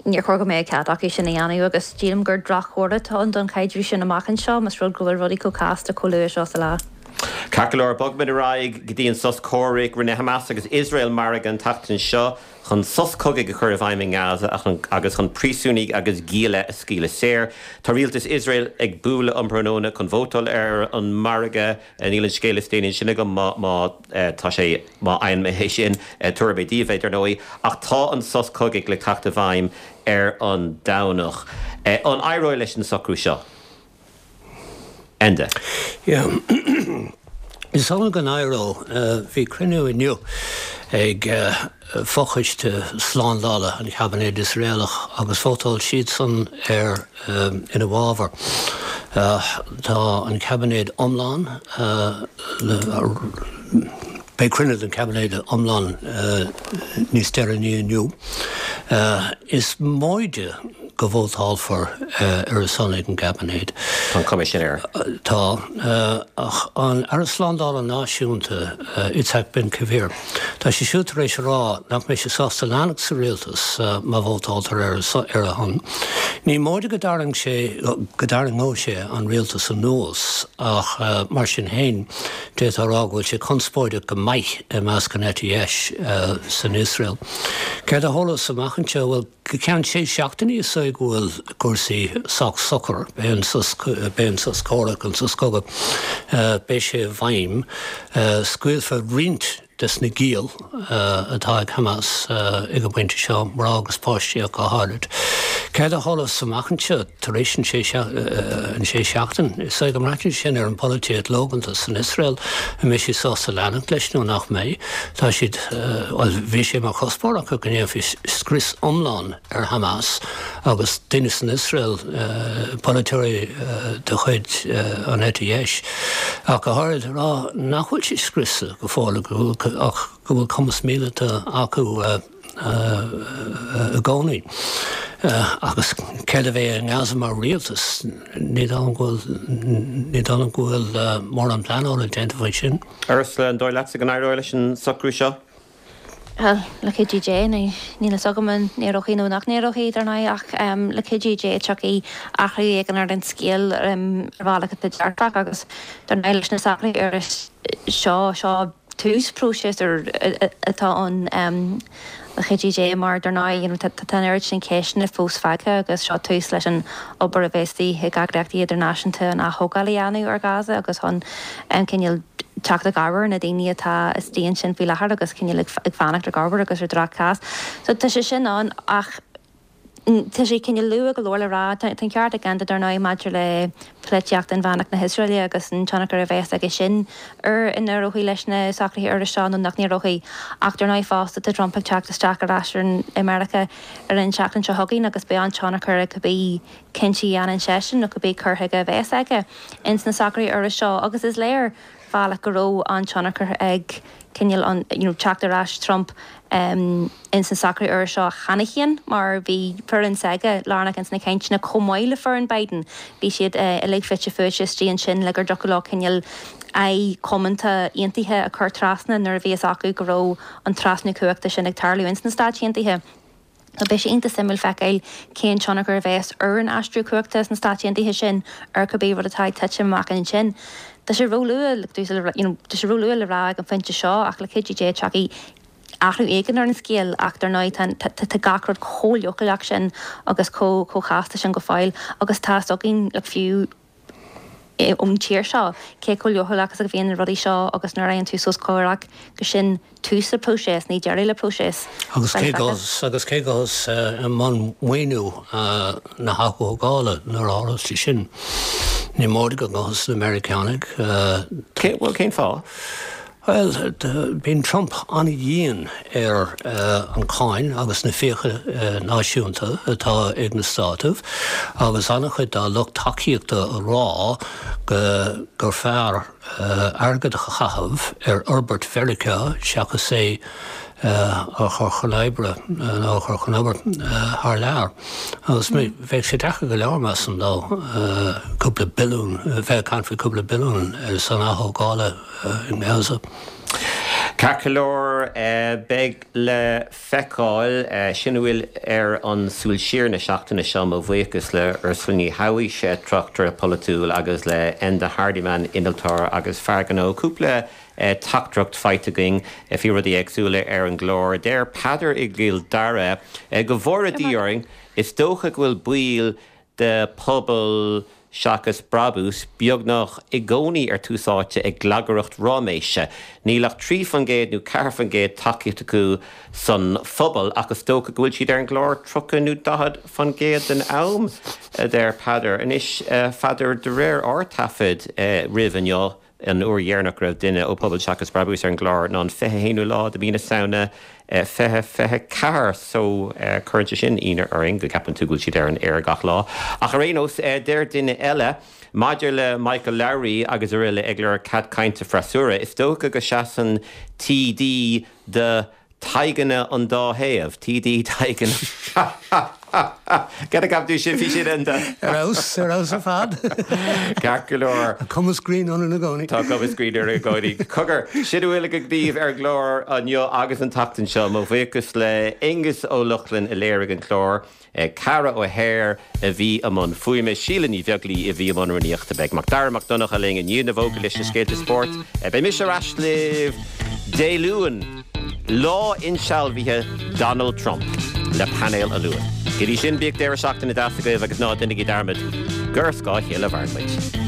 Níor chóir go mbeadh cead acu sin a dhéanamh agus sílim gur droch-chomhartha atá ann don chaidreamh sin amach anseo más rud go bhfuil rudaí chomh casta chomh luath seo sa lá. Ceart go leor, bogfaimid ar aghaidh go dtí an sos comhraic. Rinne Hamas agus Iosrael margadh an tseachtain seo chun sos cogaidh a chur i bhfeidhm i nGaza agus chun príosúnaigh agus gialla a scaoileadh saor. Tá rialtas Iosrael ag bualadh um thráthnóna chun vótáil ar an margadh. Níl an scéal is déanaí ansin agam má tá sé, má fhaigheann mé é sin, tabharfaidh mé daoibh é, dar ndóigh. Ach tá an sos cogaidh le teacht i bhfeidhm ar an Domhnach. An éireoidh leis an socrú seo? Enda. Yeah. Is dóigh liom go n-éireoidh. Bhí cruinniú inniu ag fochoiste slándála an chaibinéid Iosraelach agus vótáil siadsan ar ina bhfabhar. Tá an caibinéad iomlán, beidh cruinniú den chaibinéad iomlán níos deireanaí inniu. Is móide go vótálfar ar a son ag an gcaibinéad. Tá an chuma sin air. Tá. Ach an Aire Slándála Náisiúnta, Itzhak Ben Gvir, tá sé siúd tar éis a rá nach mbeidh sé sásta leanacht sa rialtas má vótáltar ar a shon. Ní móide go dtarraing sé, go dtarraingeodh sé an rialtas anuas ach mar sin féin, d'fhéadfá a rá go bhfuil sé conspóideach go maith i measc an eite dheis san Iosrael. Céard a tharlós amach anseo? Bhuel, go ceann sé seachtainí is dóigh go bhfuil cúrsaí sách socair. Beidh an sos, beidh an sos comhraic, an sos cogaidh, beidh sé i bhfeidhm. Scaoilfear roinnt des na giall atá ag Hamas ag an bpointe seo, mná agus páistí ach go háirid. Céard a tharlós amach anseo tar éis an sé an sé seachtain? Is dóigh go mbraitheann sin ar an bpolaitíocht lóganta san Iosrael, an mbeidh siad sásta leanacht leis nó nach mbeidh. Tá siad, bhuel, bhí sé mar chuspóir acu go ndéanfaí scrios iomlán ar Hamas agus daoine san Iosrael, polaiteoirí de chuid an eite dheis ach go háirid, ag rá nach bhfuil siad scriosta go fóill ach go bhfuil cumas míleata acu i gcónaí. Agus céard a bheidh i nGaza mar rialtas? Ní dóigh liom go bhfuil, ní dóigh liom go bhfuil mórán pleanála déanta faoi sin. Ursula, an dóigh leatsa go n-éireoidh leis an socrú seo? Bhuel, le cuidiú Dé, níl fhios agam an n-éireoidh nó nach n-éireoidh, dar ndóigh, ach le cuidiú Dé tiocfaidh athrú éigin ar an scéal ar bhealach atá dearfach agus dar ndóigh leis na socruithe úra seo, seo tús próiseas úr atá ann le cuidiú Dé mar dar ndóigh you know tá an oiread sin ceisteanna fós fágtha agus seo tús leis an obair a bheas de dhíth ag eagraíochtaí idirnáisiúnta an ath-thógáil a dhéanamh ar Gaza agus chun cineál teacht i gcabhair ar na daoine atá istigh ansin faoi láthair agus cineál ag fanacht ar gcabhair agus ar droch-chás. So tá sé sin ann ach tá sé cineál luath go leor le rá. Tá an ceart ag Enda dar ndóigh maidir le polaitíocht inmheánach na hIosraeile agus an tionchar a bheas aige sin ar an n-éireoidh leis na socruithe úra seo nó nach n-éireoidh. Ach dar ndóigh fosta tá Trump ag teacht isteach ar ais i Meiriceá ar an tseachtain seo chugainn agus beidh an-tionchar ag cibé cinntí a dhéanann seisean nó cibé cur chuige a bheas aige ins na socruithe úra seo agus is léir bhealach go raibh an-tionchar ag cineál an you know teacht ar ais Trump ins na socruithe úra seo cheana féin mar bhí foireann s'aige lárnach ins na cainteanna chomh maith le foireann Biden. Bhí siad uilig fite fuaite istigh ansin le gur dtiocfadh leo cineál aghaidh comónta aontaithe a chur trasna nuair a bhí fhios acu go raibh an trasnú cumhachta sin ag tarlú ins na Stáit Aontaithe. So beidh sé iontach suimiúil feiceáil cén tionchar a bheas ar an aistriú cumhachta sna Stáit Aontaithe sin ar cibé rud atá ag titim amach ansin. Tá sé róluath you know tá sé róluath le rá ag an phointe seo ach le cuidiú Dé tiocfaidh athrú éigin ar an scéal ach dar ndóigh tá tá gach rud chomh leochaileach sin agus chomh chomh chasta sin go fóill agus tá fhios againn like fiú ón tír seo, cé chomh leochaileach is a bhíonn na rudaí seo agus nuair a fhaigheann tú sos comhraic gur sin tús le próiseas, ní deireadh le próiseas. Agus cé gabhfas, agus cé gabhfas i mbun maoiniú na hath-thógála nuair a tharlós sé sin? Ní móide go ngabhfas na Meiriceánaigh. Cé, bhuel, cén fáth? Bhuel, bíonn Trump an-dhian ar an cháin agus na fiacha náisiúnta atá ag na Státaibh agus an-chuid dá lucht tacaíochta a rá go gur fearr airgead a chaitheamh ar fhorbairt Mheiriceá seachas é a chur chun oibre nó a chur chun obair thar lear. Agus bheadh sé deacair go leor, measaim, dó cúpla billiún, bheith ag caint faoi cúpla billiún ar son ath-thógála. i nGaza. Ceart go leor, beidh le feiceáil. Sin a bhfuil ar an Súil Siar na seachtaine seo. Mo bhuíochas le Ursula Ní Shabhaois, tráchtaire polaitiúil, agus le Enda Hardiman, innealtóir agus fear gnó. Cúpla teachtaireacht faighte againn faoi rudaí éagsúla ar an gclár. Deir Peadar i gCill Dara, Go bhfóire Dia orainn, is dócha go bhfuil baill de pobal seachas brabús, beagnach i gcónaí ar Tús Áite ag glagaireacht ráiméise. Níl ach 3% nó 4% tacaíocht acu san phobal ach is dócha go bhfuil siad ar an gclár 30 nó 40% den am, a deir Peadar. Anois, a Pheadair, de réir ár dtaifead roimh inniu. An uair dheireanach go raibh duine ó Pobal Seachas Brabús ar an gclár ná an 21ú lá de mhí na Samhna 2024 so cuireann sé sin ionadh orainn go gceapann tú go bhfuil siad ar an aer gach lá. Ach ar aon nós, deir duine eile, maidir le Michael Lowry agus araile ag lorg cead cainte freasúra, is dócha go seasann TD do Tadhganna an dá thaobh, TD Tadhganna. Cad a cheap tú sin, bhí sin an. Ar fheabhas, ar fheabhas ar fad. Ceart go leor. Tá cumas grinn ionainn i gcónaí. Tá cumas grinn orainn i gcónaí. Cogar, sin a bhfuil againn daoibh ar an gclár inniu agus an tseachtain seo. Mo bhuíochas le Aonghus Ó Lochlainn a léirigh an clár. Ceara O'Hare a bhí i mbun fuaime, Síle Ní Bheaglaoi a bhí i mbun rúnaíochta. Beidh Macdara Mac Donncha linn i ndiaidh na bhfógraí leis na scéalta spóirt. Beidh mise ar ais libh Dé Luain, lá insealbhaithe Donald Trump, le painéal an Luain. Go dtí sin, bíodh deireadh seachtaine deas agaibh agus ná déanaigí dearmad gur ar scáth a chéile a mhaireann muid.